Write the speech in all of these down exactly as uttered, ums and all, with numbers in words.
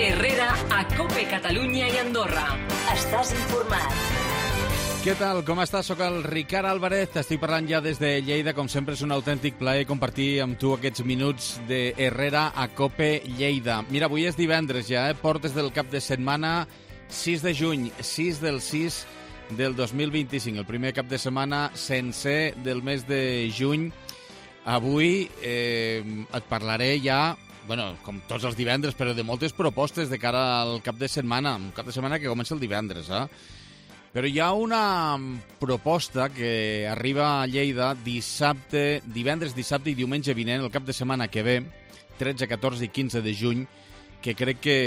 Herrera a COPE Catalunya i Andorra. Estàs informat. Què tal? Com estàs? Soc el Ricard Álvarez, t'estic parlant ja des de Lleida. Com sempre és un autèntic plaer compartir amb tu aquests minuts de Herrera a COPE Lleida. Mira, avui és divendres ja, eh? Portes del cap de setmana, sis de juny, sis del sis del dos mil vint-i-cinc, el primer cap de setmana sencer del mes de juny. Avui eh, et parlaré ja, bueno, com tots els divendres, però de moltes propostes de cara al cap de setmana, un cap de setmana que comença el divendres, eh? Però hi ha una proposta que arriba a Lleida dissabte, divendres, dissabte i diumenge vinent, el cap de setmana que ve, tretze, catorze i quinze de juny, que crec que,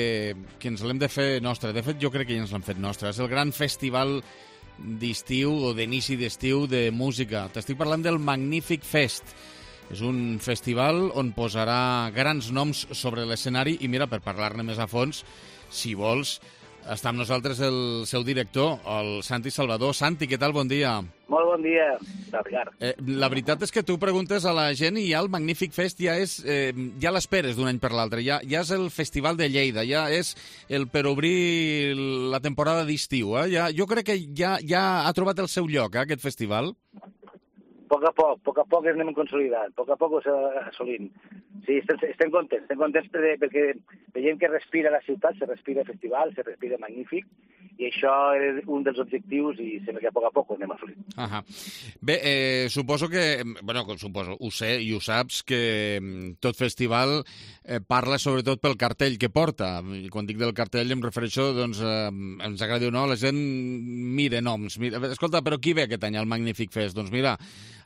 que ens l'hem de fer nostra. De fet, jo crec que ja ens l'hem fet nostra. És el gran festival d'estiu o d'inici d'estiu de música. T'estic parlant del Magnífic Fest. És un festival on posarà grans noms sobre l'escenari i mira, per parlar-ne més a fons, si vols, està amb nosaltres el seu director, el Santi Salvador. Santi, què tal? Bon dia. Molt bon dia, Ricard. Eh, la veritat és que tu preguntes a la gent i ja el Magnífic Fest ja és, eh, ja l'esperes d'un any per l'altre. Ja, ja és el Festival de Lleida, ja és el per obrir la temporada d'estiu. Eh? Ja, jo crec que ja, ja ha trobat el seu lloc, eh, aquest festival. A poc a poc, a poc a poc ens anem consolidant, a poc a poc ho estem assolint. Sí, estem, estem contents, estem contents perquè, perquè veiem que respira la ciutat, se respira el festival, se respira magnífic, i això és un dels objectius i sembla que a poc a poc ho anem assolint. Ahà. Bé, eh, suposo que, bueno, suposo, ho sé i ho saps, que tot festival eh, parla sobretot pel cartell que porta. I quan dic del cartell em refereixo, doncs, eh, ens agradi o no, la gent mira noms. Mira, escolta, però qui ve aquest any al Magnífic Fest? Doncs mira,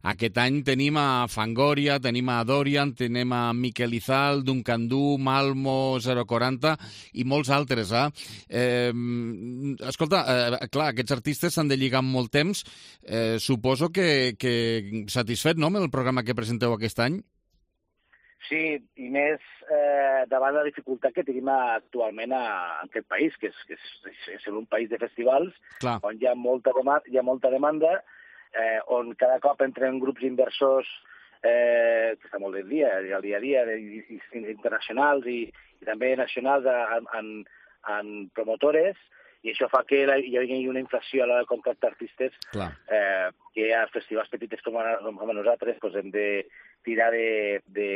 aquest any tenim a Fangoria, tenim a Dorian, tenim a Miquel Izal, Duncan Du, Malmo, zero quaranta i molts altres. Eh? Eh, escolta, eh, clar, aquests artistes s'han de lligar amb molt temps. Eh, suposo que, que satisfet, no?, amb el programa que presenteu aquest any? Sí, i més eh, davant la dificultat que tenim actualment a, a aquest país, que és, que és, és un país de festivals, clar, on hi ha molta, hi ha molta demanda, Eh, on cada cop entren grups inversors eh, que està molt del dia, al dia a dia, de, i, internacionals i, i també nacionals en, en, en promotores, i això fa que la, hi hagi una inflació a l'hora de contractar artistes, eh, que a festivals petits com a, com a nosaltres pues, hem de tirar de, de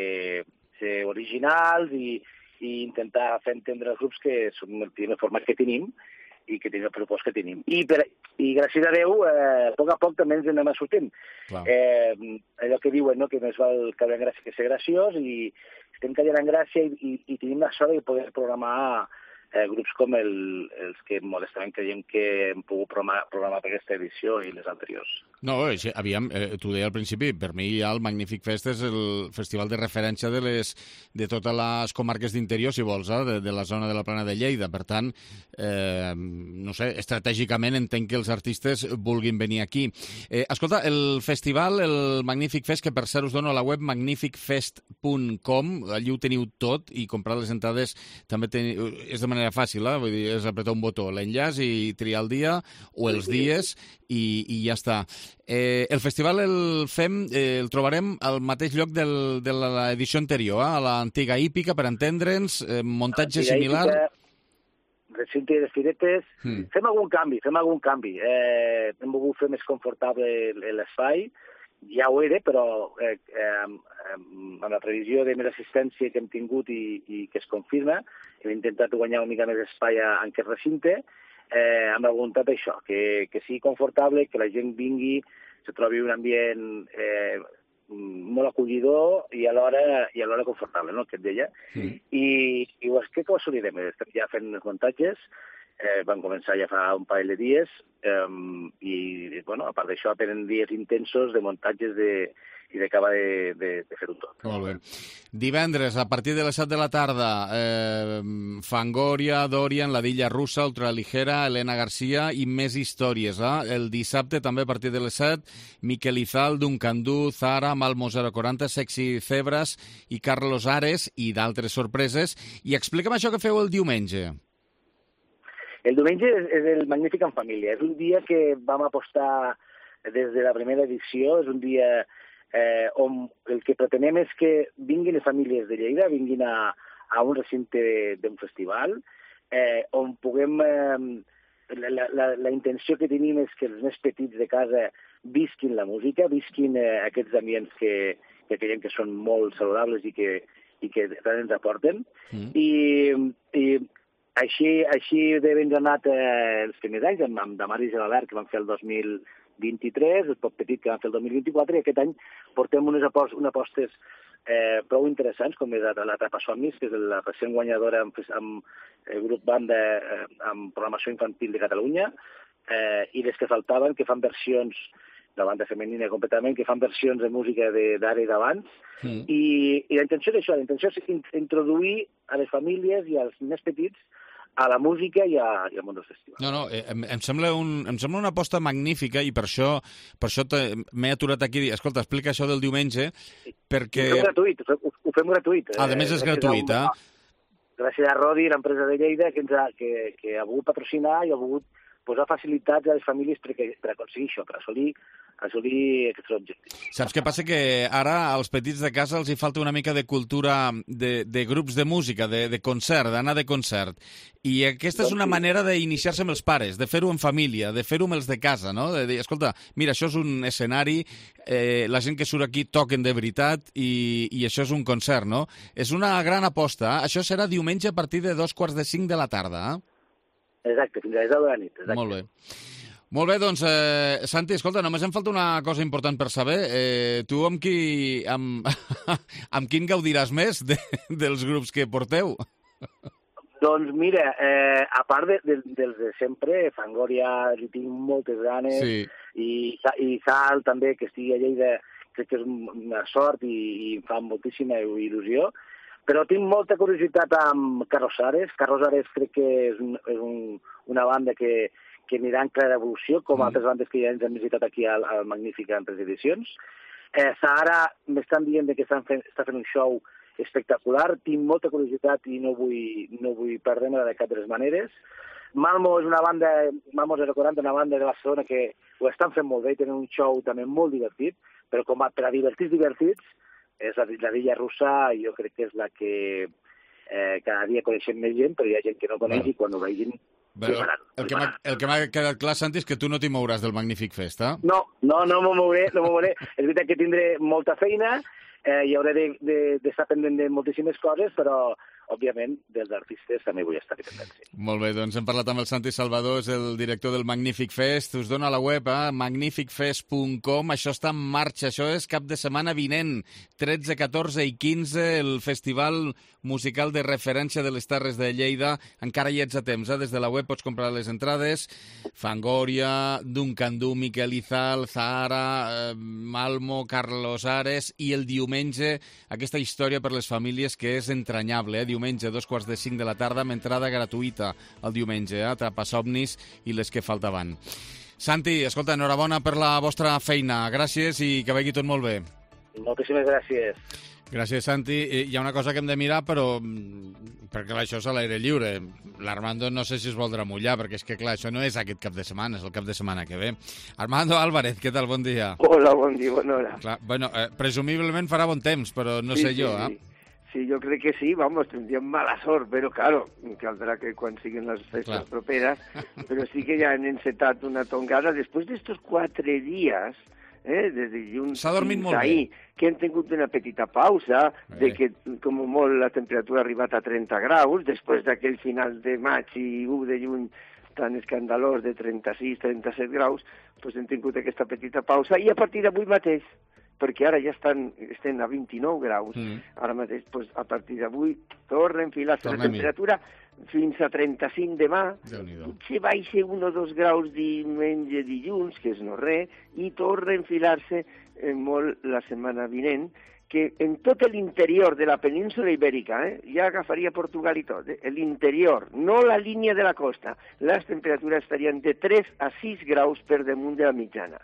ser originals i, i intentar fer entendre els grups que són el primer format que tenim i que tenim el pressupost que tenim. I, per, i gràcies a Déu, eh, a poc a poc també ens anem sortint. Eh, allò que diuen, no?, que més val caure en gràcia que ser graciós, i estem caient en gràcia i, i, i tenim la sort de poder programar eh, grups com el, els que modestament creiem que hem pogut programar, programar per aquesta edició i les anteriors. No, aviam, eh, t'ho deia al principi, per mi ja el Magnífic Fest és el festival de referència de, les, de totes les comarques d'interior, si vols, eh, de, de la zona de la Plana de Lleida. Per tant, eh, no sé, estratègicament entenc que els artistes vulguin venir aquí. Eh, escolta, el festival, el Magnífic Fest, que per cert us dono a la web magnific fest punt com, allí ho teniu tot, i comprar les entrades també teniu, és de manera fàcil, eh? Vull dir, és apretar un botó, l'enllaç i triar el dia o els dies i, i ja està. Eh, el festival el fem, eh, el trobarem al mateix lloc del, de l'edició anterior, eh? A l'antiga hípica, per entendre'ns, eh, muntatge similar. Hípica, recinte de firetes. Hmm. Fem algun canvi, fem algun canvi. Eh, hem volgut fer més confortable l'espai, ja ho era, però eh, eh, amb la previsió de més assistència que hem tingut i, i que es confirma, hem intentat guanyar una mica més espai en aquest recinte, eh, amb la voluntat d'això, que, que sigui confortable, que la gent vingui, se trobi un ambient eh, molt acollidor i alhora, i alhora confortable, no?, que et deia. Sí. I, i ho, crec que ho assolirem. Estem ja fent els muntatges, eh, van començar ja fa un parell de dies, eh, i, bueno, a part d'això, tenen dies intensos de muntatges de, i d'acabar de, de, de fer-ho tot. Molt bé. Divendres, a partir de les set de la tarda, eh, Fangoria, Dorian, La Dilla Russa, Ultraligera, Elena Garcia i més històries. Eh? El dissabte, també a partir de les set, Miquel Izal, Duncan Du, Zara, Malmo zero quaranta, Sexy Cebras i Carlos Ares i d'altres sorpreses. I explica'm això que feu el diumenge. El diumenge és, és el Magnífic en Família. És un dia que vam apostar des de la primera edició. És un dia eh, on el que pretenem és que vinguin les famílies de Lleida, vinguin a, a un recinte d'un festival, eh, on puguem... Eh, la, la, la intenció que tenim és que els més petits de casa visquin la música, visquin eh, aquests ambients que, que creiem que són molt saludables i que, i que tant ens aporten. Mm. I, i així, així de ben anat eh, els primers anys, amb, amb Damaris i l'Albert, que van fer el dos mil vint-i-tres, el Pop Petit, que van fer el dos mil vint-i-quatre, i aquest any portem unes apostes, unes apostes eh, prou interessants, com és la, la Trapa Somnis, que és la recent guanyadora amb, amb el grup banda eh, amb programació infantil de Catalunya, eh, i les que faltaven, que fan versions, la banda femenina completament, que fan versions de música d'ara i d'abans, mm. i, i la intenció és això, la intenció és introduir a les famílies i als més petits a la música i, a, i al món dels festivals. No, no, em, em, sembla un, em sembla una aposta magnífica i per això, per això m'he aturat aquí i dir, escolta, explica això del diumenge, perquè... Ho fem gratuït, ho, ho fem gratuït. Ah, a més és gratuït, eh? Gràcies a Rodi, l'empresa de Lleida, que, ens ha, que, que ha volgut patrocinar i ha volgut posar facilitats a les famílies per, per aconseguir això, per assolir, assolir aquests objectius. Saps què passa? Que ara als petits de casa els hi falta una mica de cultura de, de grups de música, de, de concert, d'anar de concert. I aquesta és una manera d'iniciar-se amb els pares, de fer-ho en família, de fer-ho amb els de casa, no? De dir, escolta, mira, això és un escenari, eh, la gent que surt aquí toquen de veritat i, i això és un concert, no? És una gran aposta. Eh? Això serà diumenge a partir de dos quarts de cinc de la tarda, eh? Exacte, fins a les deu de la nit. Exacte. Molt bé. Molt bé, doncs, eh, Santi, escolta, només em falta una cosa important per saber. Eh, tu amb qui, amb, amb quin gaudiràs més de, dels grups que porteu? Doncs mira, eh, a part de, de, dels de sempre, Fangoria li tinc moltes ganes, sí. i, i Sal també, que estigui a Lleida, crec que és una sort i, i em fa moltíssima il·lusió. Però tinc molta curiositat amb Carlos Ares. Carlos Ares crec que és, un, és un, una banda que, que anirà en clara evolució, com mm. altres bandes que ja ens han visitat aquí al, al Magnífic en tres edicions. Eh, Sahara m'estan dient que estan fent, està fent un show espectacular. Tinc molta curiositat i no vull, no vull perdre-me de cap de les maneres. Malmo és una banda, Malmo zero quaranta, una banda de Barcelona que ho estan fent molt bé i tenen un show també molt divertit, però com a, per a divertits divertits, és la, la Villa Russa, jo crec que és la que eh, cada dia coneixem més gent, però hi ha gent que no coneix bueno. I quan ho vegin... Però el que, el que m'ha quedat clar, Santi, és que tu no t'hi mouràs del Magnífic Fest, eh? No, no, no m'ho mouré, no m'ho mouré. És veritat que tindré molta feina, eh, i hauré d'estar pendent de moltíssimes coses, però, òbviament, dels artistes també vull estar pendent. Sí. Molt bé, doncs hem parlat amb el Santi Salvador, és el director del Magnífic Fest. Us dona la web a eh? magnific fest punt com. Això està en marxa, això és cap de setmana vinent. tretze, catorze i quinze, el festival musical de referència de les Terres de Lleida. Encara hi ets a temps, eh? Des de la web pots comprar les entrades. Fangoria, Duncan Du, Miquel Izal, Zahara, eh, Malmo, Carlos Ares, i el diumenge aquesta història per les famílies que és entranyable, eh? Diumenge, dos quarts de cinc de la tarda, amb entrada gratuïta el diumenge, eh? Trapa Somnis i les que faltaven. Santi, escolta, enhorabona per la vostra feina. Gràcies i que vagi tot molt bé. Moltíssimes gràcies. Gràcies, Santi. Hi ha una cosa que hem de mirar, però perquè clar, això és a l'aire lliure. L'Armando no sé si es voldrà mullar, perquè és que clar, això no és aquest cap de setmana, és el cap de setmana que ve. Armando Álvarez, què tal? Bon dia. Hola, bon dia, bona hora. Clar, bueno, eh, presumiblement farà bon temps, però no sí, sé jo, sí, eh? Sí, yo creo que sí, vamos, tendrían mala sort, pero claro, caldrá que cuando siguen las festas claro. properas, pero sí que ya han encetat una tongada después de estos quatre días, eh, des de dilluns fins ahir, que han tingut una petita pausa, eh. de que com molt la temperatura ha arribat a trenta graus, després d'aquell final de maig i u de juny tan escandalós de trenta-sis trenta-set graus, doncs hem tingut aquesta petita pausa i a partir d'avui mateix, perquè ara ja estan, estem a vint-i-nou graus, mm. ara mateix, doncs, a partir d'avui, torna a enfilar-se la temperatura fins a trenta-cinc demà, potser baixa un o dos graus diumenge, dilluns, que és no res, i torna a enfilar-se eh, molt la setmana vinent, que en tot l'interior de la península ibèrica, eh, ja agafaria Portugal i tot, eh, l'interior, no la línia de la costa, les temperatures estarien de tres a sis graus per damunt de la mitjana.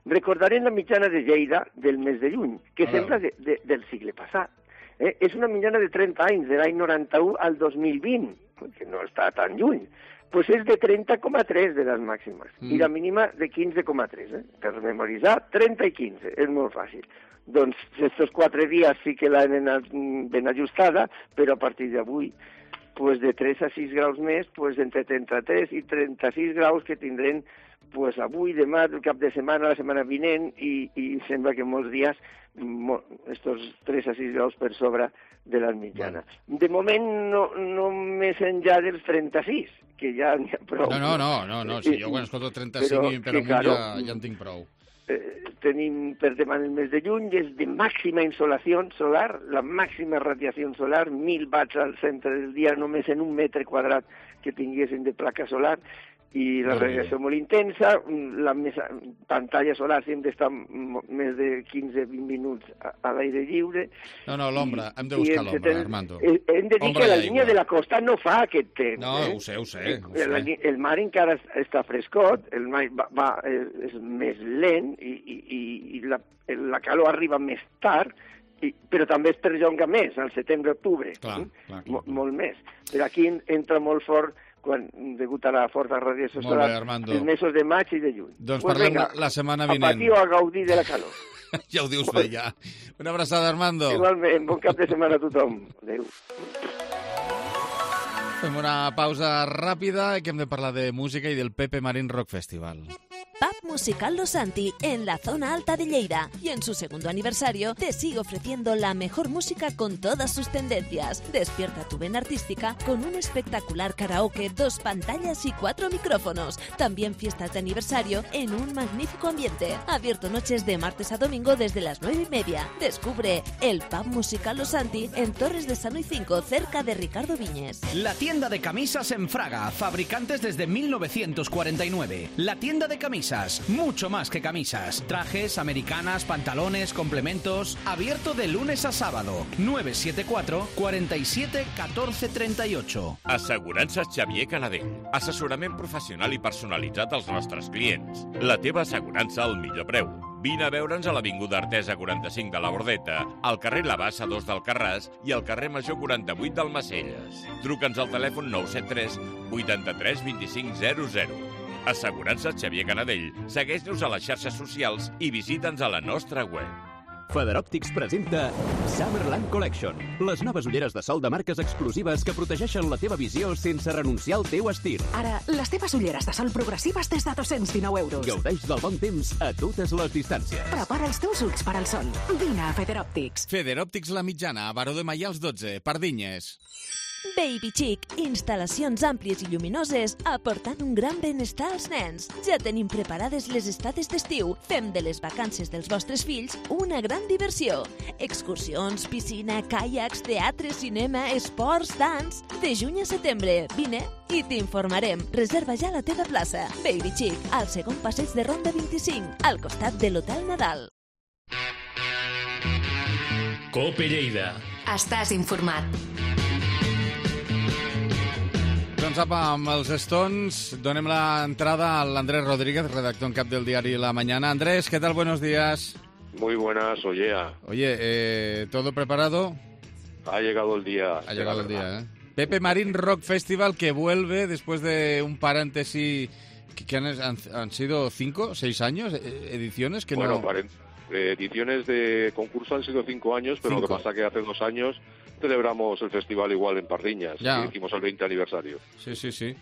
Recordarem la mitjana de Lleida del mes de juny, que ah, sembla de, de, del segle passat. Eh? És una mitjana de trenta anys, de l'any noranta-u al dos mil vint, que no està tan lluny. Pues és de trenta coma tres de les màximes, mm. i la mínima de quinze coma tres. Eh? Per memoritzar, trenta i quinze, és molt fàcil. Doncs estos quatre dies sí que l'han ben ajustada, però a partir d'avui pues de tres a sis graus més, pues entre trenta-tres i trenta-sis graus que tindrem pues avui, demà, el cap de setmana, la setmana vinent, i, i sembla que molts dies estos tres a sis graus per sobre de la mitjana. De moment no, no més enllà dels trenta-sis, que ja n'hi ha prou. No, no, no, no, no. Si jo quan escolto trenta-cinc i per amunt claro, ja, ja en tinc prou. Eh, tenim per demà el mes de juny, és de màxima insolació solar, la màxima radiació solar, mil watts al centre del dia, només en un metre quadrat que tinguessin de placa solar, i la radiació molt intensa, la més, pantalla solar sempre està més de quinze a vint minuts a, a l'aire lliure. No, no, l'ombra, hem de buscar l'ombra, ten... Armando. Hem de dir ombra que la línia de la costa no fa aquest temps. No, eh? ho sé, ho sé. Ho el, sé. el mar encara està frescot, el mar va, va, és més lent i, i, i la, la calor arriba més tard, I, però també es perllonga més, al setembre-octubre, clar, eh? clar, clar. Mol, molt més. Però aquí entra molt fort quan, degut a la forta radiació solar, els mesos de maig i de juny. Doncs pues parlem venga, la setmana vinent. A patir o a gaudir de la calor. Ja ho dius bé, ja. Una abraçada, Armando. Igualment, bon cap de setmana a tothom. Adéu. Fem una pausa ràpida i que hem de parlar de música i del Pepe Marín Rock Festival. Pub Musical Los Santi, en la zona alta de Lleida. Y en su segundo aniversario te sigue ofreciendo la mejor música con todas sus tendencias. Despierta tu vena artística con un espectacular karaoke, dos pantallas y cuatro micrófonos. También fiestas de aniversario en un magnífico ambiente. Abierto noches de martes a domingo desde las nueve y media. Descubre el Pub Musical Los Santi en Torres de Sano y cinco, cerca de Ricardo Viñes. La tienda de camisas en Fraga, fabricantes desde mil novecientos cuarenta y nueve. La tienda de camisas. Mucho más que camisas. Trajes, americanas, pantalones, complementos. Abierto de lunes a sábado. nueve siete cuatro, cuatro siete, uno cuatro tres ocho. Assegurances Xavier Canadell. Assessorament professional i personalitzat als nostres clients. La teva assegurança al millor preu. Vine a veure'ns a l'Avinguda Artesa quaranta-cinc de la Bordeta, al carrer La Bassa dos d'Alcarràs i al carrer Major quaranta-vuit d'Almacelles. Truca'ns al telèfon nou set tres, vuitanta-tres, vint-i-cinc, zero zero. Assegurances Xavier Canadell. Segueix-nos a les xarxes socials i visita'ns a la nostra web. Federòptics presenta Summerland Collection, les noves ulleres de sol de marques exclusives que protegeixen la teva visió sense renunciar al teu estil. Ara, les teves ulleres de sol progressives des de dos-cents dinou euros. Gaudeix del bon temps a totes les distàncies. Prepara els teus ulls per al sol. Vine a Federòptics. Federòptics La Mitjana, a Baró de Maials dotze, Pardinyes. Baby Chic, instal·lacions àmplies i lluminoses aportant un gran benestar als nens. Ja tenim preparades les estades d'estiu. Fem de les vacances dels vostres fills una gran diversió. Excursions, piscina, caiacs, teatre, cinema, esports, dans... De juny a setembre, vine i t'informarem. Reserva ja la teva plaça. Baby Chic, al segon passeig de Ronda vint-i-cinc, al costat de l'Hotel Nadal. Cope Lleida. Estàs informat. Doncs apa, amb els Stones donem l'entrada a l'Andrés Rodríguez, redactor en cap del diari La Mañana. Andrés, ¿qué tal? Buenos días. Muy buenas, Ollea. Oye, eh, ¿todo preparado? Ha llegado el día. Ha llegado el día, ¿eh? Pepe Marín Rock Festival, que vuelve después de un paréntesis que, que han, han, han sido cinco, seis años, ediciones que bueno, no... Bueno, ediciones de concurso han sido cinco años, pero cinco. Lo que pasa que hace dos años celebramos el festival igual en Pardiñas, ya. Y hicimos el veinte aniversario. Sí, sí, sí.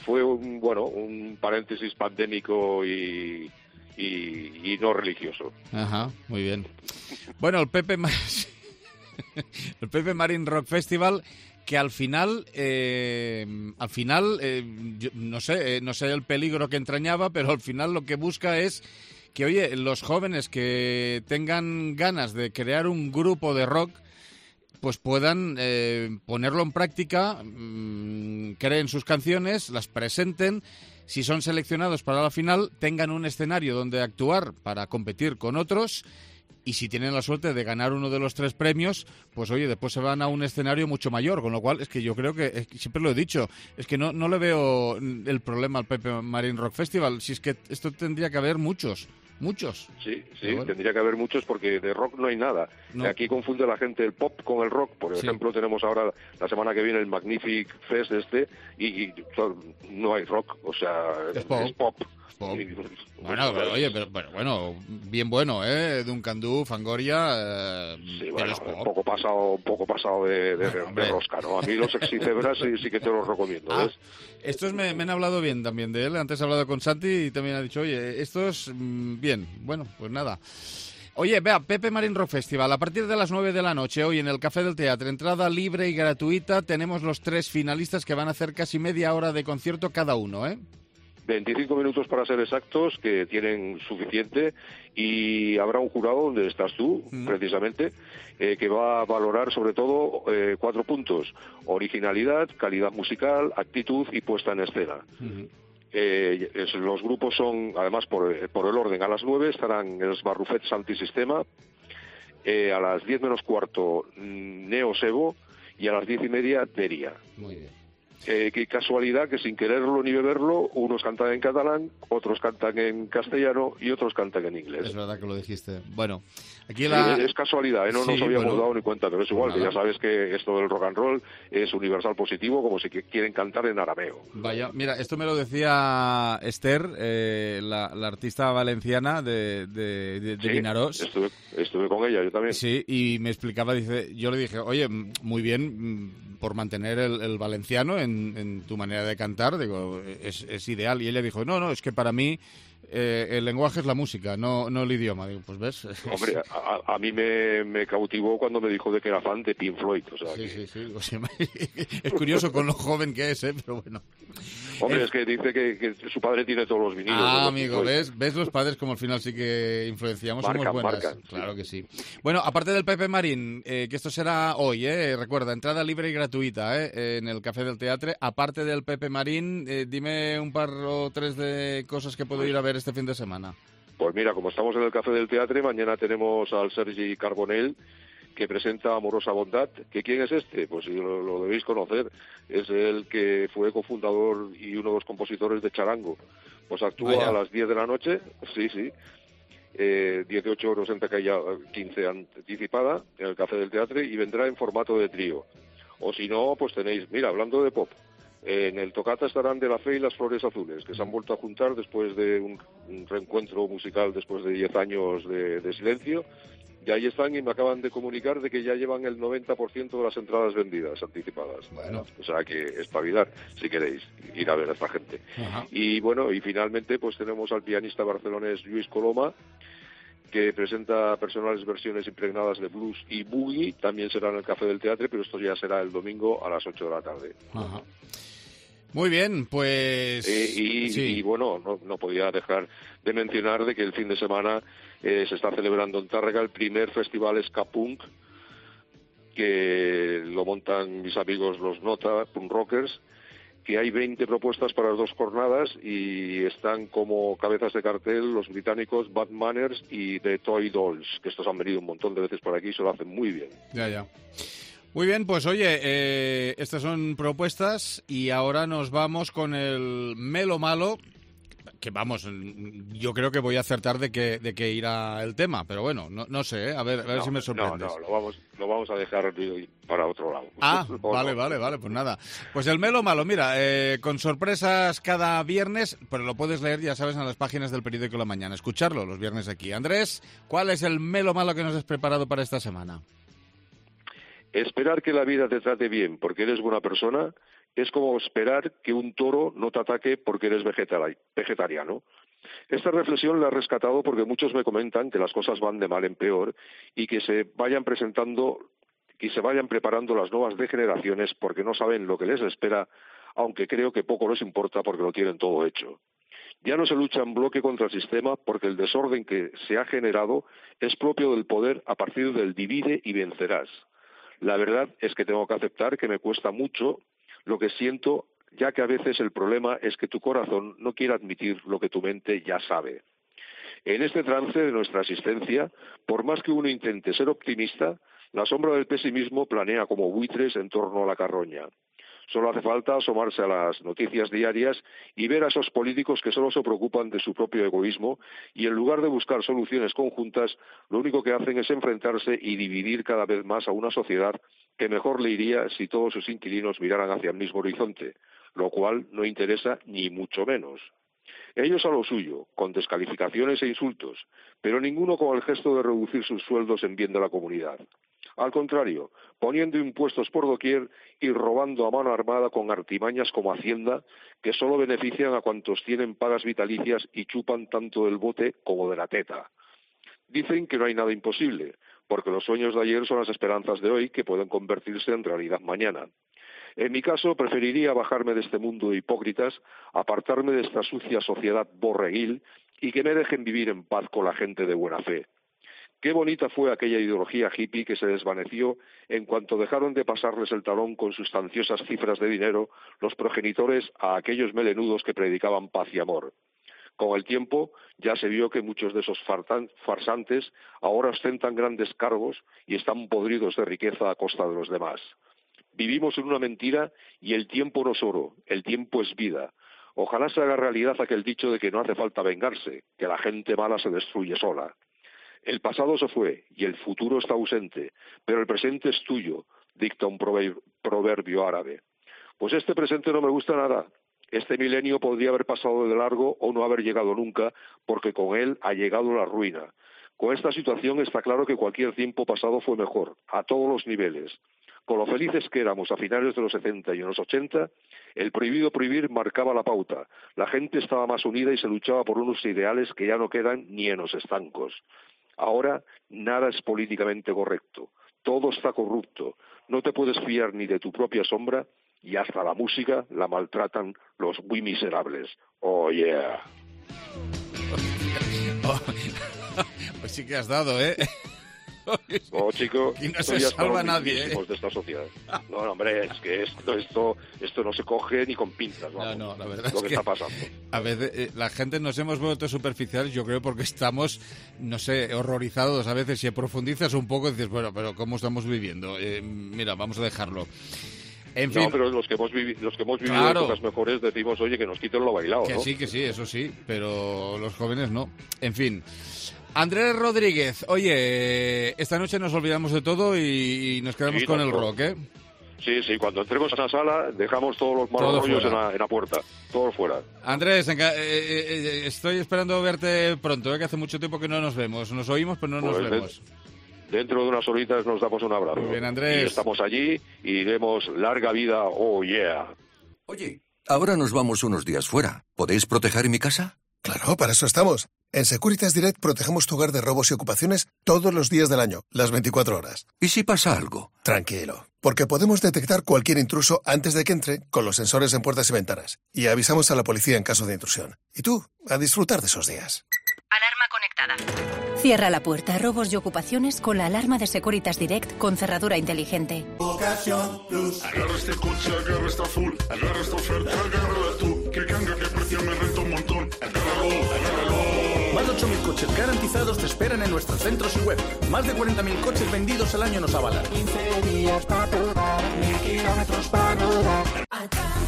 Fue un, bueno, un paréntesis pandémico y, y, y no religioso. Ajá, muy bien. Bueno, el Pepe, el Pepe Marín Rock Festival, que al final, eh, al final, eh, yo, no sé, eh, no sé el peligro que entrañaba, pero al final lo que busca es que, oye, los jóvenes que tengan ganas de crear un grupo de rock, pues puedan eh, ponerlo en práctica, mmm, creen sus canciones, las presenten, si son seleccionados para la final, tengan un escenario donde actuar para competir con otros, y si tienen la suerte de ganar uno de los tres premios, pues oye, después se van a un escenario mucho mayor, con lo cual es que yo creo que, es que siempre lo he dicho, es que no, no le veo el problema al Pepe Marín Rock Festival, si es que esto tendría que haber muchos. Muchos. Sí, sí, bueno. Tendría que haber muchos porque de rock no hay nada. No. Aquí confunde la gente el pop con el rock. Por sí. ejemplo, tenemos ahora la semana que viene el Magnific Fest este y, y no hay rock, o sea, es pop. Es pop. Pop. Bueno, pero, oye, pero, pero bueno, bien bueno, ¿eh? Duncan Du, Fangoria, eh, sí, bueno, un poco pasado, un poco pasado de, de, bueno, de rosca, ¿no? A mí los Exicebras sí, sí que te los recomiendo, ah, ¿ves? Estos me, me han hablado bien también de él, antes he hablado con Santi y también ha dicho, oye, estos, mmm, bien, bueno, pues nada. Oye, vea, Pepe Marín Rock Festival, a partir de las nueve de la noche, hoy en el Café del Teatro, entrada libre y gratuita, tenemos los tres finalistas que van a hacer casi media hora de concierto cada uno, ¿eh? veinticinco minutos para ser exactos, que tienen suficiente, y habrá un jurado donde estás tú, mm. precisamente, eh, que va a valorar sobre todo eh, cuatro puntos: originalidad, calidad musical, actitud y puesta en escena. Mm. Eh, es, los grupos son, además, por, por el orden, a las nueve estarán el Barrufets Antisistema, eh, a las diez menos cuarto Neo Sebo y a las diez y media Deria. Muy bien. Eh, qué casualidad que sin quererlo ni beberlo, unos cantan en catalán, otros cantan en castellano y otros cantan en inglés. Es verdad que lo dijiste. Bueno, aquí la... Sí, es casualidad, ¿eh? no sí, nos habíamos bueno, dado ni cuenta, pero es igual, nada. Que ya sabes que esto del rock and roll es universal positivo, como si quieren cantar en arameo. Vaya, mira, esto me lo decía Esther, eh, la, la artista valenciana de, de, de, de sí, Vinaròs. Estuve, estuve con ella, yo también. Sí, y me explicaba, dice, yo le dije, oye, muy bien por mantener el, el valenciano en, en tu manera de cantar, digo, es, es ideal. Y ella dijo, no, no, es que para mí eh, el lenguaje es la música, no, no el idioma. Digo, pues ves. Hombre, a, a mí me, me cautivó cuando me dijo de que era fan de Pink Floyd. O sea, sí, que... sí, sí. O sea, es curioso con lo joven que es, ¿eh? Pero bueno. Hombre, es, es que dice que, que su padre tiene todos los vinilos. Ah, amigo, ¿ves? ¿Ves los padres como al final sí que influenciamos? Marcan, Somos buenas. Marcan, claro sí. que sí. Bueno, aparte del Pepe Marín, eh, que esto será hoy, ¿eh? Recuerda, entrada libre y gratuita, ¿eh? En el Café del Teatre. Aparte del Pepe Marín, eh, dime un par o tres de cosas que puedo ir a ver este fin de semana. Pues mira, como estamos en el Café del Teatre, mañana tenemos al Sergi Carbonell, que presenta Amorosa Bondad. ¿Que quién es este? Pues lo, lo debéis conocer. Es el que fue cofundador y uno de los compositores de Charango. Pues actúa Vaya. a las diez de la noche, sí, sí, eh, dieciocho euros en taquilla, quince anticipada, en el Café del Teatre, y vendrá en formato de trío. O si no, pues tenéis, mira, hablando de pop, en el Tocata estarán De la Fe y las Flores Azules, que se han vuelto a juntar después de un, un reencuentro musical después de diez años de, de silencio. Y ahí están, y me acaban de comunicar de que ya llevan el noventa por ciento de las entradas vendidas, anticipadas. Bueno. O sea que espabilar, si queréis, ir a ver a esta gente. Ajá. Y bueno, y finalmente pues tenemos al pianista barcelonés Lluís Coloma, que presenta personales versiones impregnadas de blues y boogie. También será en el Café del Teatre, pero esto ya será el domingo a las ocho de la tarde. Ajá. Muy bien, pues... Eh, y, sí. y bueno, no, no podía dejar de mencionar de que el fin de semana eh, se está celebrando en Tárrega el primer festival Ska Punk, que lo montan mis amigos los Nota, Punk Rockers, que hay veinte propuestas para las dos jornadas y están como cabezas de cartel los británicos Bad Manners y The Toy Dolls, que estos han venido un montón de veces por aquí y se lo hacen muy bien. Ya, ya. Muy bien, pues oye, eh, estas son propuestas y ahora nos vamos con el Melo Malo, que vamos, yo creo que voy a acertar de que, de que irá el tema, pero bueno, no, no sé, ¿eh? a ver, a ver no, si me sorprendes. No, no, lo vamos, lo vamos a dejar para otro lado. Ah, vale, no? vale, vale, pues nada. Pues el Melo Malo, mira, eh, con sorpresas cada viernes, pero lo puedes leer, ya sabes, en las páginas del periódico La Mañana, escucharlo los viernes aquí. Andrés, ¿cuál es el Melo Malo que nos has preparado para esta semana? Esperar que la vida te trate bien porque eres buena persona es como esperar que un toro no te ataque porque eres vegetariano. Esta reflexión la he rescatado porque muchos me comentan que las cosas van de mal en peor y que se vayan presentando y se vayan preparando las nuevas degeneraciones porque no saben lo que les espera, aunque creo que poco les importa porque lo tienen todo hecho. Ya no se lucha en bloque contra el sistema porque el desorden que se ha generado es propio del poder a partir del divide y vencerás. La verdad es que tengo que aceptar que me cuesta mucho lo que siento, ya que a veces el problema es que tu corazón no quiere admitir lo que tu mente ya sabe. En este trance de nuestra existencia, por más que uno intente ser optimista, la sombra del pesimismo planea como buitres en torno a la carroña. Solo hace falta asomarse a las noticias diarias y ver a esos políticos que solo se preocupan de su propio egoísmo y en lugar de buscar soluciones conjuntas, lo único que hacen es enfrentarse y dividir cada vez más a una sociedad que mejor le iría si todos sus inquilinos miraran hacia el mismo horizonte, lo cual no interesa ni mucho menos. Ellos a lo suyo, con descalificaciones e insultos, pero ninguno con el gesto de reducir sus sueldos en bien de la comunidad. Al contrario, poniendo impuestos por doquier y robando a mano armada con artimañas como Hacienda, que solo benefician a cuantos tienen pagas vitalicias y chupan tanto del bote como de la teta. Dicen que no hay nada imposible, porque los sueños de ayer son las esperanzas de hoy que pueden convertirse en realidad mañana. En mi caso, preferiría bajarme de este mundo de hipócritas, apartarme de esta sucia sociedad borreguil y que me dejen vivir en paz con la gente de buena fe. Qué bonita fue aquella ideología hippie que se desvaneció en cuanto dejaron de pasarles el talón con sustanciosas cifras de dinero los progenitores a aquellos melenudos que predicaban paz y amor. Con el tiempo ya se vio que muchos de esos farsantes ahora ostentan grandes cargos y están podridos de riqueza a costa de los demás. Vivimos en una mentira y el tiempo no es oro, el tiempo es vida. Ojalá se haga realidad aquel dicho de que no hace falta vengarse, que la gente mala se destruye sola. El pasado se fue y el futuro está ausente, pero el presente es tuyo, dicta un proverbio árabe. Pues este presente no me gusta nada. Este milenio podría haber pasado de largo o no haber llegado nunca, porque con él ha llegado la ruina. Con esta situación está claro que cualquier tiempo pasado fue mejor, a todos los niveles. Con lo felices que éramos a finales de los setenta y en los ochenta, el prohibido prohibir marcaba la pauta. La gente estaba más unida y se luchaba por unos ideales que ya no quedan ni en los estancos. Ahora nada es políticamente correcto, todo está corrupto, no te puedes fiar ni de tu propia sombra y hasta la música la maltratan los muy miserables. Oh, yeah. Oh, pues sí que has dado, ¿eh? Oh, chico, y no se salva nadie, ¿eh? De esta sociedad. No, no, hombre, es que esto, esto, esto no se coge ni con pinzas, vamos, no, no, la verdad lo es que, que está pasando. A veces eh, la gente nos hemos vuelto superficiales, yo creo, porque estamos, no sé, horrorizados a veces. Si profundizas un poco dices, bueno, pero ¿cómo estamos viviendo? Eh, mira, vamos a dejarlo. En fin. No, pero los que hemos, vivi los que hemos vivido claro. épocas mejores decimos, oye, que nos quiten lo bailado, que ¿no? sí, que sí, eso sí, pero los jóvenes no. En fin. Andrés Rodríguez, oye, esta noche nos olvidamos de todo y, y nos quedamos sí, con no, el no. rock, ¿eh? Sí, sí, cuando entremos a la sala dejamos todos los malos rollos en la, en la puerta, todos fuera. Andrés, eh, eh, estoy esperando verte pronto, ¿eh? Que hace mucho tiempo que no nos vemos. Nos oímos, pero no pues nos vemos. De, dentro de unas horitas nos damos un abrazo. Muy bien, Andrés. Y estamos allí y diremos larga vida, oh yeah. Oye, ahora nos vamos unos días fuera. ¿Podéis proteger mi casa? Claro, para eso estamos. En Securitas Direct protegemos tu hogar de robos y ocupaciones todos los días del año, las veinticuatro horas. ¿Y si pasa algo? Tranquilo, porque podemos detectar cualquier intruso antes de que entre con los sensores en puertas y ventanas. Y avisamos a la policía en caso de intrusión. Y tú, a disfrutar de esos días. Alarma conectada. Cierra la puerta a robos y ocupaciones con la alarma de Securitas Direct con cerradura inteligente. Ocasión Plus. Agarra este coche, agarra esta full, agarra esta oferta, agárrala tú. Que cambia, que precio me renta un montón. Agárralo, agárralo. Más de ocho mil coches garantizados te esperan en nuestros centros y web. Más de cuarenta mil coches vendidos al año nos avalan. quince días para probar, mil kilómetros para rodar.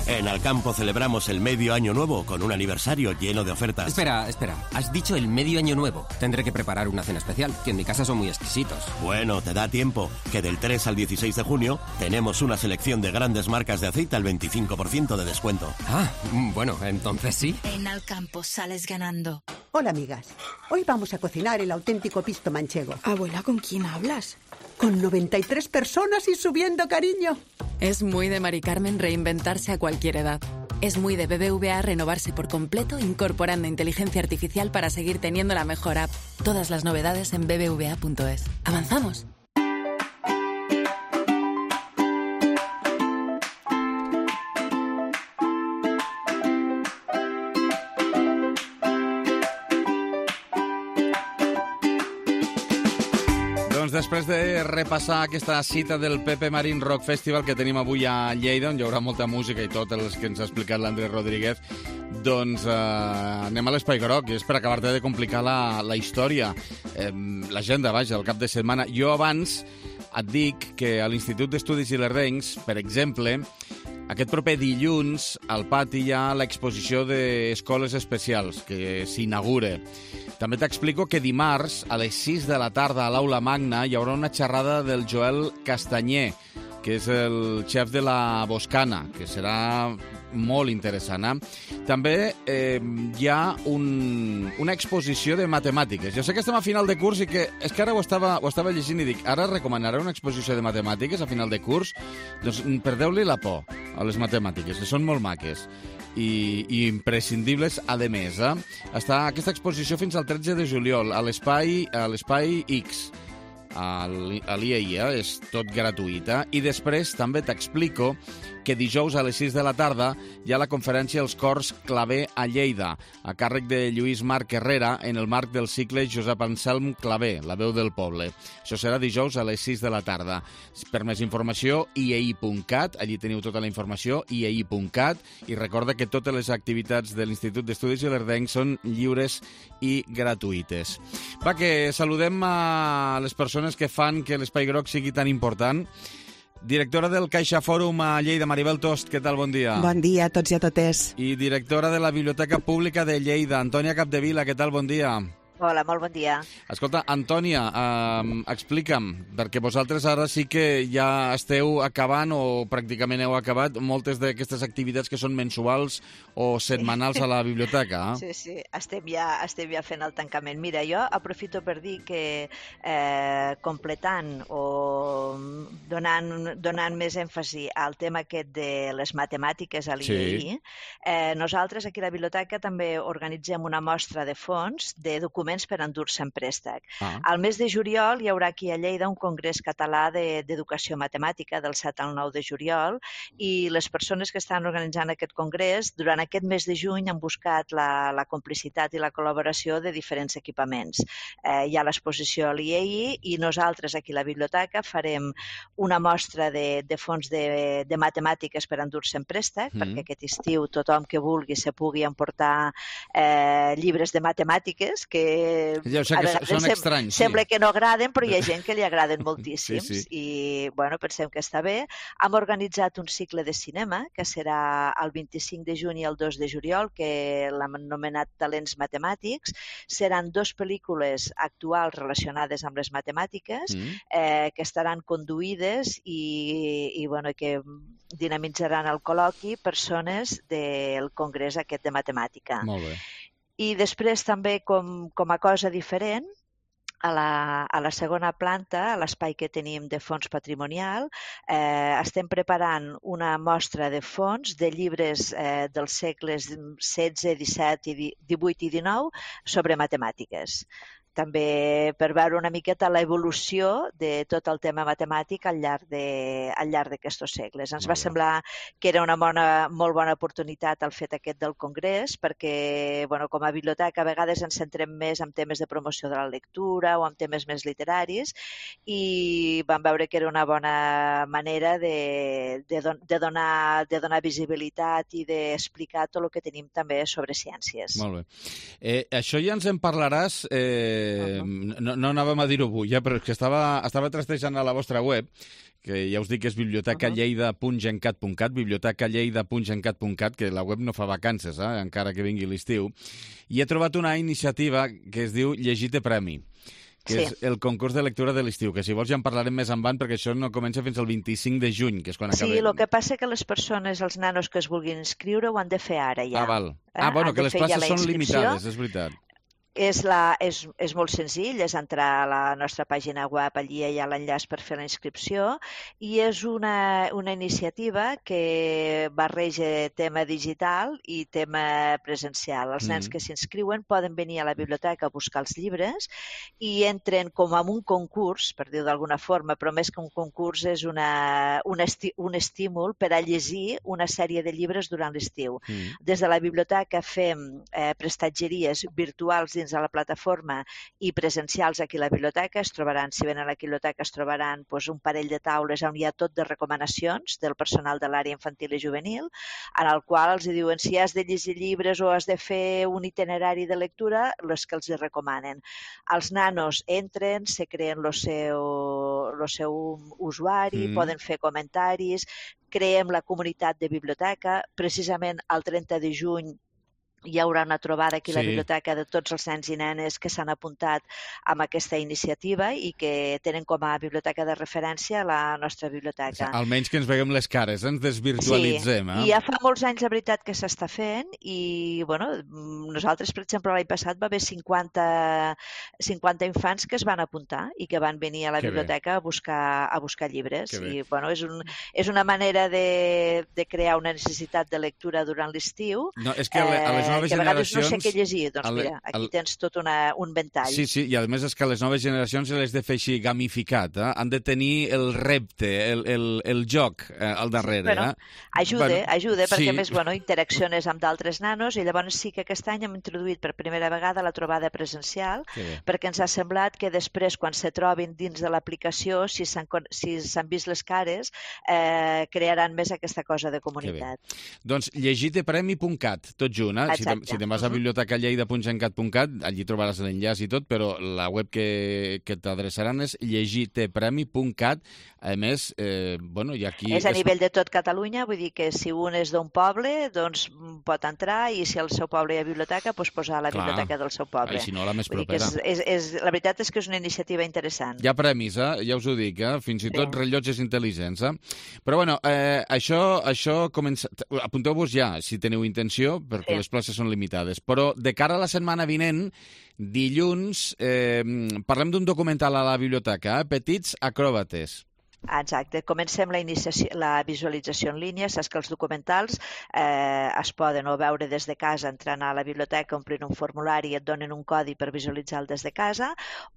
En Alcampo celebramos el medio año nuevo con un aniversario lleno de ofertas. Espera, espera. Has dicho el medio año nuevo. Tendré que preparar una cena especial, que en mi casa son muy exquisitos. Bueno, te da tiempo, que del tres al dieciséis de junio tenemos una selección de grandes marcas de aceite al veinticinco por ciento de descuento. Ah, bueno, entonces sí. En Alcampo sales ganando. Hola, amigas. Hoy vamos a cocinar el auténtico pisto manchego. Abuela, ¿con quién hablas? Con noventa y tres personas y subiendo, cariño. Es muy de Mari Carmen reinventarse a cualquier edad. Es muy de B B V A renovarse por completo incorporando inteligencia artificial para seguir teniendo la mejor app. Todas las novedades en b b v a punto es. ¿Avanzamos? Després de repassar aquesta cita del Pepe Marín Rock Festival que tenim avui a Lleida, on hi haurà molta música i tot el que ens ha explicat l'Andrés Rodríguez, doncs eh, anem a l'Espai Groc, i és per acabar-te de complicar la, la història, eh, l'agenda, vaja, el cap de setmana. Jo abans et dic que a l'Institut d'Estudis Ilerdencs, per exemple, aquest proper dilluns al pati hi ha l'exposició d'escoles especials que s'inaugura. També t'explico que dimarts, a les sis de la tarda, a l'Aula Magna, hi haurà una xerrada del Joel Castanyer, que és el xef de la Boscana, que serà molt interessant. Eh? També eh, hi ha un, una exposició de matemàtiques. Jo sé que estem a final de curs i que és que ara ho estava, ho estava llegint i dic, ara recomanarà una exposició de matemàtiques a final de curs? Doncs perdeu-li la por a les matemàtiques, que són molt maques i, i imprescindibles, a més. Eh? Està aquesta exposició fins al tretze de juliol a l'espai a l'espai X, a l'I A I, eh? És tot gratuït. Eh? I després també t'explico que dijous a les sis de la tarda hi ha la conferència Els Cors Claver a Lleida, a càrrec de Lluís Marc Herrera, en el marc del cicle Josep Anselm Claver, la veu del poble. Això serà dijous a les sis de la tarda. Per més informació, i a i punt cat, allí teniu tota la informació, i a i punt cat, i recorda que totes les activitats de l'Institut d'Estudis Ilerdenc són lliures i gratuïtes. Va, que saludem a les persones que fan que l'Espai Groc sigui tan important. Directora del Caixa Fòrum a Lleida, Maribel Tost, què tal? Bon dia. Bon dia a tots i a totes. I directora de la Biblioteca Pública de Lleida, Antònia Capdevila, què tal? Bon dia. Hola, molt bon dia. Escolta, Antònia, eh, explica'm, perquè vosaltres ara sí que ja esteu acabant o pràcticament heu acabat moltes d'aquestes activitats que són mensuals o setmanals a la biblioteca. Eh? Sí, sí, estem ja, estem ja fent el tancament. Mira, jo aprofito per dir que eh, completant o donant, donant més èmfasi al tema aquest de les matemàtiques a l'I A I, sí. eh, nosaltres aquí a la biblioteca també organitzem una mostra de fons de documents per endur-se en préstec. Ah. Al mes de juliol hi haurà aquí a Lleida un congrés català d'educació matemàtica del set al nou de juliol i les persones que estan organitzant aquest congrés durant aquest mes de juny han buscat la, la complicitat i la col·laboració de diferents equipaments. Eh, hi ha l'exposició a l'I A I i nosaltres aquí a la biblioteca farem una mostra de, de fons de, de matemàtiques per endur-se en préstec, mm. perquè aquest estiu tothom que vulgui se pugui emportar eh, llibres de matemàtiques que ja sé que són sem estranys, sí. Sembla que no agraden, però hi ha gent que li agraden moltíssims. Sí, sí. I, bueno, pensem que està bé. Hem organitzat un cicle de cinema, que serà el vint-i-cinc de juny i el dos de juliol, que l'hem anomenat Talents Matemàtics. Seran dues pel·lícules actuals relacionades amb les matemàtiques, mm. eh, que estaran conduïdes i, i bueno, que dinamitzaran el col·loqui persones del congrés aquest de matemàtica. Molt bé. I després també, com, com a cosa diferent, a la, a la segona planta, a l'espai que tenim de fons patrimonial, eh, estem preparant una mostra de fons de llibres eh, dels segles setze, disset, divuit i dinou sobre matemàtiques. També per veure una miqueta l'evolució de tot el tema matemàtic al llarg de, al llarg d'aquests segles. Ens va semblar que era una bona, molt bona oportunitat el fet aquest del congrés, perquè bueno, com a biblioteca a vegades ens centrem més en temes de promoció de la lectura o en temes més literaris i vam veure que era una bona manera de, de, don, de, donar, de donar visibilitat i d'explicar tot el que tenim també sobre ciències. Molt bé. Eh, això ja ens en parlaràs... Eh... No, no anàvem a dir-ho avui, ja, però és que estava, estava trastejant a la vostra web, que ja us dic que és biblioteca lleida punt gencat punt cat, biblioteca lleida punt gencat punt cat, que la web no fa vacances, eh, encara que vingui l'estiu, i he trobat una iniciativa que es diu Llegite Premi, que sí. és el concurs de lectura de l'estiu, que si vols ja en parlarem més endavant, perquè això no comença fins al vint-i-cinc de juny, que és quan acabem. Sí, el que passa que les persones, els nanos que es vulguin inscriure, ho han de fer ara ja. Ah, val. Ah, bueno, que les places són limitades, és veritat. És, la, és, és molt senzill, és entrar a la nostra pàgina web, allí hi ha l'enllaç per fer la inscripció i és una, una iniciativa que barreja tema digital i tema presencial. Els nens mm. que s'inscriuen poden venir a la biblioteca a buscar els llibres i entren com en un concurs, per dir-ho d'alguna forma, però més que un concurs és una, un, esti, un estímul per a llegir una sèrie de llibres durant l'estiu. Mm. Des de la biblioteca fem eh, prestatgeries virtuals dins de la plataforma i presencials aquí a la biblioteca. Es trobaran, si venen a la biblioteca, es trobaran doncs, un parell de taules on hi ha tot de recomanacions del personal de l'àrea infantil i juvenil, en el qual els diuen si has de llegir llibres o has de fer un itinerari de lectura, les que els hi recomanen. Els nanos entren, se creen el seu, el seu usuari, mm. poden fer comentaris, creem la comunitat de biblioteca. Precisament el trenta de juny hi haurà una trobada aquí a la Sí. biblioteca de tots els nens i nenes que s'han apuntat amb aquesta iniciativa i que tenen com a biblioteca de referència la nostra biblioteca. Almenys que ens veiem les cares, ens desvirtualitzem. Sí, eh? i ja fa molts anys, la veritat, que s'està fent i, bueno, nosaltres, per exemple, l'any passat va haver cinquanta, cinquanta infants que es van apuntar i que van venir a la Que bé. biblioteca a buscar, a buscar llibres. Que bé. I, bueno, és, un, és una manera de, de crear una necessitat de lectura durant l'estiu. No, és que a le- a les noves que a vegades no sé generacions- què llegir. Doncs a le- mira, aquí al- tens tot una, un ventall. Sí, sí, i a més és que a les noves generacions se les de fer així gamificat, eh? Han de tenir el repte, el, el, el joc eh, al darrere. Bueno, eh? ajuda, Bueno, ajuda, perquè sí. a més, bueno, interacciones amb d'altres nanos i llavors sí que aquest any hem introduït per primera vegada la trobada presencial, Que bé. perquè ens ha semblat que després, quan se trobin dins de l'aplicació, si s'han con- si s'han vist les cares, eh, crearan més aquesta cosa de comunitat. Doncs llegitepremi punt cat, tot junt. Eh? Si te'n Exacte. si te vas a bibliotecalleida punt gencat punt cat, allí trobaràs l'enllaç i tot, però la web que, que t'adreçaran és llegitepremi punt cat. A més, eh, bueno, i aquí... És a nivell de tot Catalunya, vull dir que si un és d'un poble, doncs pot entrar i si al seu poble hi ha biblioteca, doncs posar la Clar. biblioteca del seu poble. Ai, si no, la més Vull dir que propera. És, és, és, la veritat és que és una iniciativa interessant. Hi ha premis, eh? Ja us ho dic, eh? Fins i tot Sí. rellotges intel·ligents, eh? Però, bueno, eh, això, això comença... Apunteu-vos ja, si teniu intenció, perquè Sí. les places són limitades. Però de cara a la setmana vinent, dilluns, eh, parlem d'un documental a la biblioteca, eh? Petits acròbates. Exacte. Comencem la, iniciació, la visualització en línia. Saps que els documentals eh, es poden o veure des de casa entrant a la biblioteca, omplint un formulari i et donen un codi per visualitzar-lo des de casa,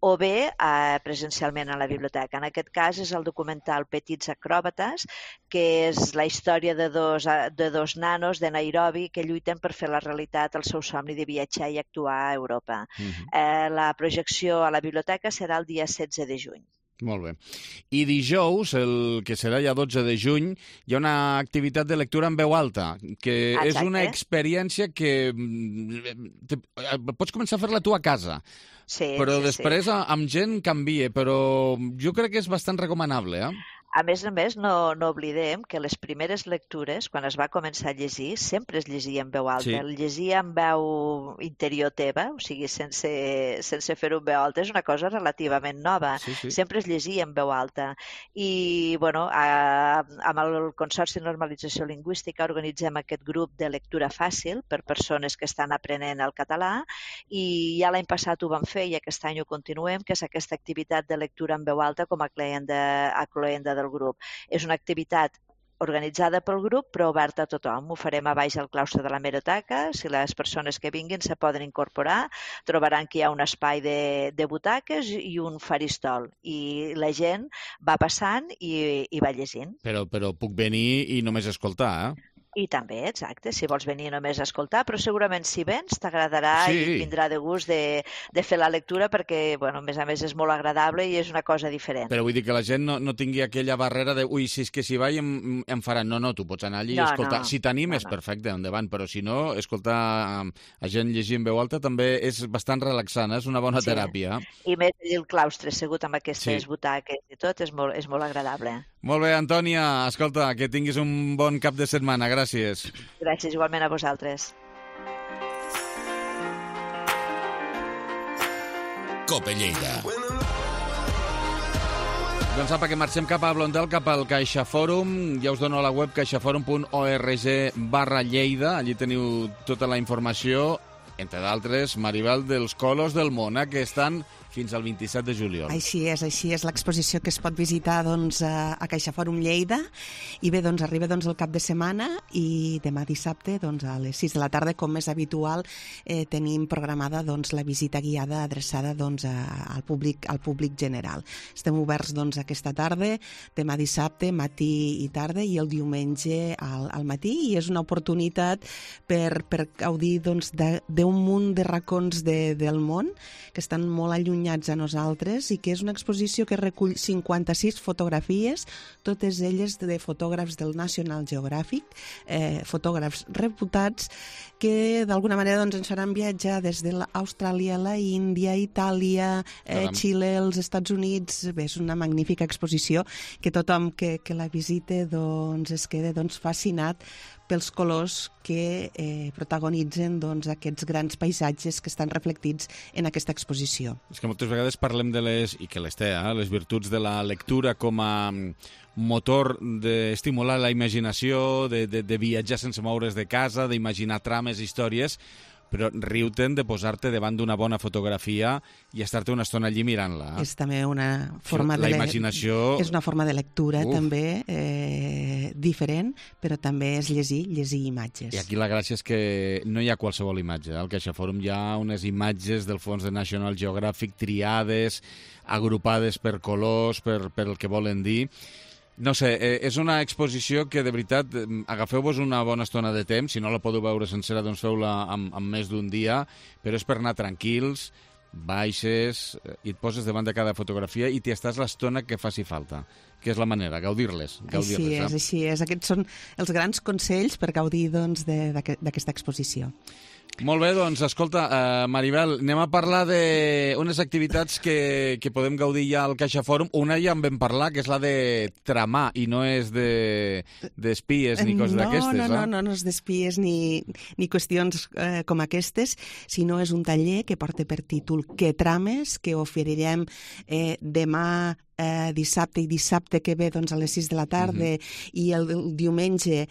o bé eh, presencialment a la biblioteca. En aquest cas és el documental Petits acròbates, que és la història de dos, de dos nanos de Nairobi que lluiten per fer la realitat el seu somni de viatjar i actuar a Europa. Mhm. Eh, la projecció a la biblioteca serà el dia setze de juny. Molt bé. I dijous, el que serà ja dotze de juny, hi ha una activitat de lectura en veu alta, que Exacte. és una experiència que mm, te, pots començar a fer-la tu a casa, Sí, però sí, després sí. amb gent canvia, però jo crec que és bastant recomanable, eh? A més a més, no, no oblidem que les primeres lectures, quan es va començar a llegir, sempre es llegia en veu alta. Sí. El llegia en veu interior teva, o sigui, sense, sense fer-ho en veu alta, és una cosa relativament nova. Sí, sí. Sempre es llegia en veu alta. I, bueno, a, amb el Consorci de Normalització Lingüística organitzem aquest grup de lectura fàcil per persones que estan aprenent el català i ja l'any passat ho vam fer i aquest any ho continuem, que és aquesta activitat de lectura en veu alta com a cloenda, a cloenda del grup. És una activitat organitzada pel grup, però oberta a tothom. Ho farem a baix al claustre de la Meroteca. Si les persones que vinguin se poden incorporar, trobaran que hi ha un espai de, de butaques i un faristol. I la gent va passant i, i va llegint. Però, però puc venir i només escoltar, eh? I també, exacte, si vols venir només a escoltar, però segurament si vens t'agradarà Sí. i et vindrà de gust de, de fer la lectura perquè, bueno, a més a més és molt agradable i és una cosa diferent. Però vull dir que la gent no, no tingui aquella barrera de ui, si és que si vaig em, em faran. No, no, tu pots anar allí i No, escoltar. no. Si t'animes, No, no. perfecte, endavant, però si no, escoltar um, a gent llegir en veu alta també és bastant relaxant, eh? És una bona Sí. teràpia. I més allà el claustre assegut amb aquestes Sí. butaques i tot és molt, és molt agradable. Molt bé, Antònia, escolta, que tinguis un bon cap de setmana, gràcies. Gràcies igualment a vosaltres. Cope Lleida. Doncs apa, que marxem cap a Blondel, cap al CaixaForum. Ja us dono la web caixaforum punt org barra Lleida. Allí teniu tota la informació, entre d'altres, Maribel, dels colors del món, eh, que estan fins al vint-i-set de juliol. Així és, així és l'exposició que es pot visitar doncs, a, a CaixaForum Lleida. I bé, doncs, arriba doncs, el cap de setmana i demà dissabte doncs, a les sis de la tarda, com és habitual, eh, tenim programada doncs, la visita guiada adreçada doncs, a, al, públic, al públic general. Estem oberts doncs, aquesta tarda, demà dissabte, matí i tarda, i el diumenge al, al matí, i és una oportunitat per, per gaudir doncs, d'un munt de racons de, del món que estan molt allunyats a nosaltres i que és una exposició que recull cinquanta-sis fotografies, totes elles de fotògrafs del National Geographic, eh, fotògrafs reputats que d'alguna manera doncs, ens faran viatjar des de l'Austràlia, la Índia, Itàlia, eh, Xile, els Estats Units. Bé, és una magnífica exposició que tothom que, que la visite doncs, es queda doncs, fascinat pels colors que eh, protagonitzen doncs, aquests grans paisatges que estan reflectits en aquesta exposició. És que moltes vegades parlem de les, i que les té, eh, les virtuts de la lectura com a motor d'estimular la imaginació, de, de, de viatjar sense moure's de casa, d'imaginar trames, històries, però riu-te'n de posar-te davant d'una bona fotografia i estar-te una estona allí mirant-la. És també una forma la de... imaginació... És una forma de lectura, Uf. també, eh, diferent, però també és llegir, llegir imatges. I aquí la gràcia és que no hi ha qualsevol imatge. Al CaixaForum hi ha unes imatges del fons de National Geographic triades, agrupades per colors, per, per el que volen dir. No sé, eh, és una exposició que, de veritat, agafeu-vos una bona estona de temps. Si no la podeu veure sencera, doncs feu-la amb, amb més d'un dia, però és per anar tranquils, baixes, i et poses davant de cada fotografia i t'hi estàs l'estona que faci falta, que és la manera, gaudir-les. Gaudir així és, eh? així és. Aquests són els grans consells per gaudir doncs, d'aquesta exposició. Molt bé, doncs, escolta, uh, Maribel, anem a parlar d'unes activitats que, que podem gaudir ja al CaixaForum. Una ja en vam parlar, que és la de tramar, i no és d'espies de, ni coses no, d'aquestes, no, eh? No, no, no és d'espies ni, ni qüestions eh, com aquestes, sinó és un taller que porta per títol Que trames, que oferirem eh, demà, eh, dissabte i dissabte que ve doncs, a les sis de la tarda mm-hmm. i el, el diumenge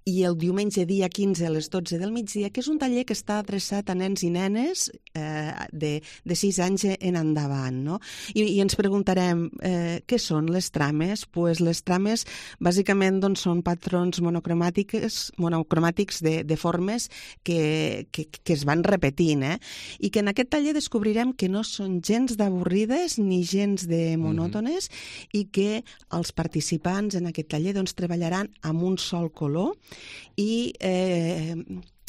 i el diumenge dia quinze a les dotze del migdia, que és un taller que està adreçat a nens i nenes eh, de, de sis anys en endavant, no? I, i ens preguntarem, eh, què són les trames? Pues les trames, bàsicament, doncs, són patrons monocromàtics, monocromàtics de, de formes que, que, que es van repetint, eh? I que en aquest taller descobrirem que no són gens d'avorrides ni gens de monòtones mm-hmm. i que els participants en aquest taller doncs, treballaran amb un sol color i eh,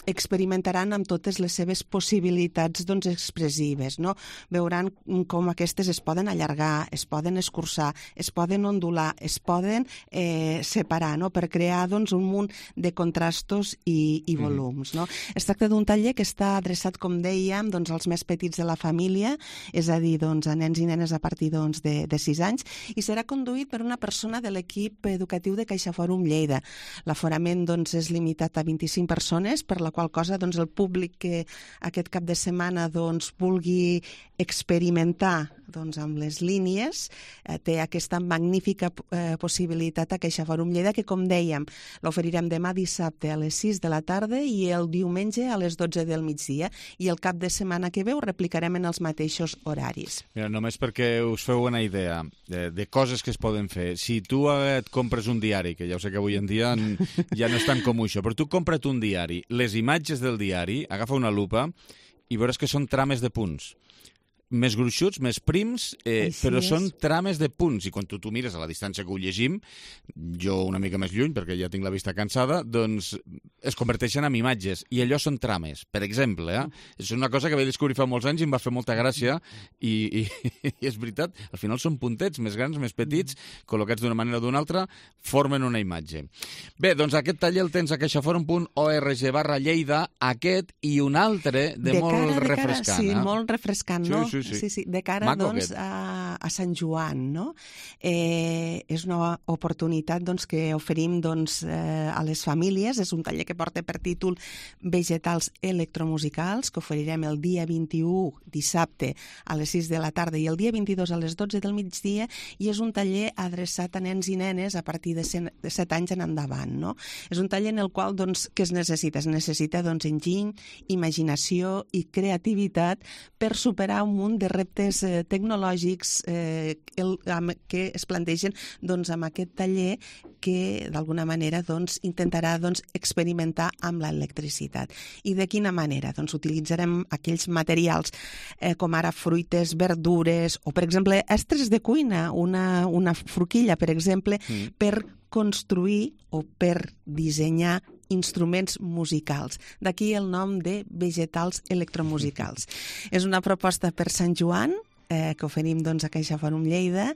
experimentaran amb totes les seves possibilitats doncs, expressives, no? Veuran com aquestes es poden allargar, es poden escurçar, es poden ondular, es poden eh, separar, no? Per crear doncs, un munt de contrastos i, i volums. No? Es tracta d'un taller que està adreçat, com dèiem, doncs, als més petits de la família, és a dir, doncs, a nens i nenes a partir doncs, de, de sis anys, i serà conduït per una persona de l'equip educatiu de CaixaForum Lleida. L'aforament doncs, és limitat a vint-i-cinc persones, per la qual cosa doncs, el públic que aquest cap de setmana doncs, vulgui experimentar doncs, amb les línies eh, té aquesta magnífica eh, possibilitat a CaixaForum Lleida, que, com dèiem, l'oferirem demà dissabte a les sis de la tarda i el diumenge a les dotze del migdia, i el cap de setmana que ve ho replicarem en els mateixos horaris. Mira, només perquè us feu una idea de, de coses que es poden fer. Si tu et compres un diari, que ja ho sé que avui en dia ja no és tan comú això, però tu compra't un diari, les imatges del diari, agafa una lupa i veuràs que són trames de punts. Més gruixuts, més prims, eh, però és. Són trames de punts. I quan tu, tu mires a la distància que ho llegim, jo una mica més lluny, perquè ja tinc la vista cansada, doncs es converteixen en imatges. I allò són trames, per exemple. Eh? És una cosa que vaig descobrir fa molts anys i em va fer molta gràcia. I, i, i és veritat, al final són puntets més grans, més petits, col·locats d'una manera o d'una altra, formen una imatge. Bé, doncs aquest taller el tens a caixaforum punt org barra Lleida, aquest i un altre de, de molt cara, refrescant. De cara, sí, eh? molt refrescant, no? Sí, sí. Sí. Sí, sí, de cara Maco, doncs, a, a Sant Joan, no? Eh, és una oportunitat doncs, que oferim doncs, eh, a les famílies. És un taller que porta per títol Vegetals electromusicals, que oferirem el dia vint-i-u, dissabte, a les sis de la tarda, i el dia vint-i-dos a les dotze del migdia, i és un taller adreçat a nens i nenes a partir de set anys en endavant, no? És un taller en el qual doncs, què es necessita? Es necessita doncs, enginy, imaginació i creativitat per superar un munt de reptes eh, tecnològics eh, el, amb, que es plantegen doncs, amb aquest taller que d'alguna manera doncs, intentarà doncs, experimentar amb l'electricitat. I de quina manera? Doncs utilitzarem aquells materials eh, com ara fruites, verdures o, per exemple, estres de cuina, una, una forquilla, per exemple, mm. per construir o per dissenyar instruments musicals. D'aquí el nom de Vegetals electromusicals. És una proposta per Sant Joan, eh, que oferim doncs, a CaixaForum Lleida,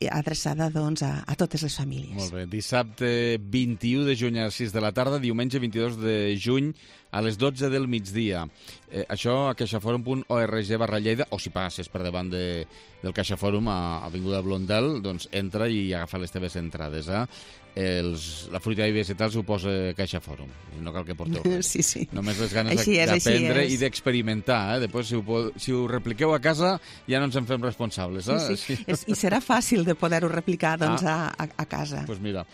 adreçada doncs, a, a totes les famílies. Molt bé. Dissabte vint-i-u de juny a les sis de la tarda, diumenge vint-i-dos de juny a les dotze del migdia. Eh, això a caixaforum punt org barra Lleida, o si passes per davant de, del CaixaForum a Avinguda Blondel, doncs entra i agafa les teves entrades. Eh? Els, la fruita i vegetals ho posa CaixaForum, no cal que porteu res. Sí, sí. Només les ganes d'aprendre i d'experimentar. Eh? Després, si ho, si ho repliqueu a casa, ja no ens en fem responsables. Eh? Sí, sí. És, I serà fàcil de poder-ho replicar doncs, ah. a, a casa. Doncs pues mira.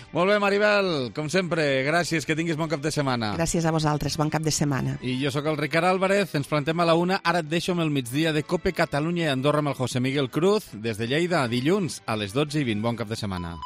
Molt bé, Maribel, com sempre, gràcies, que tinguis bon cap de setmana. Gràcies a vosaltres, bon cap de setmana. I jo sóc el Ricard Álvarez, ens plantem a la una, ara et deixo amb el migdia de COPE Catalunya i Andorra amb el José Miguel Cruz, des de Lleida, dilluns a les dotze i vint. Bon cap de setmana.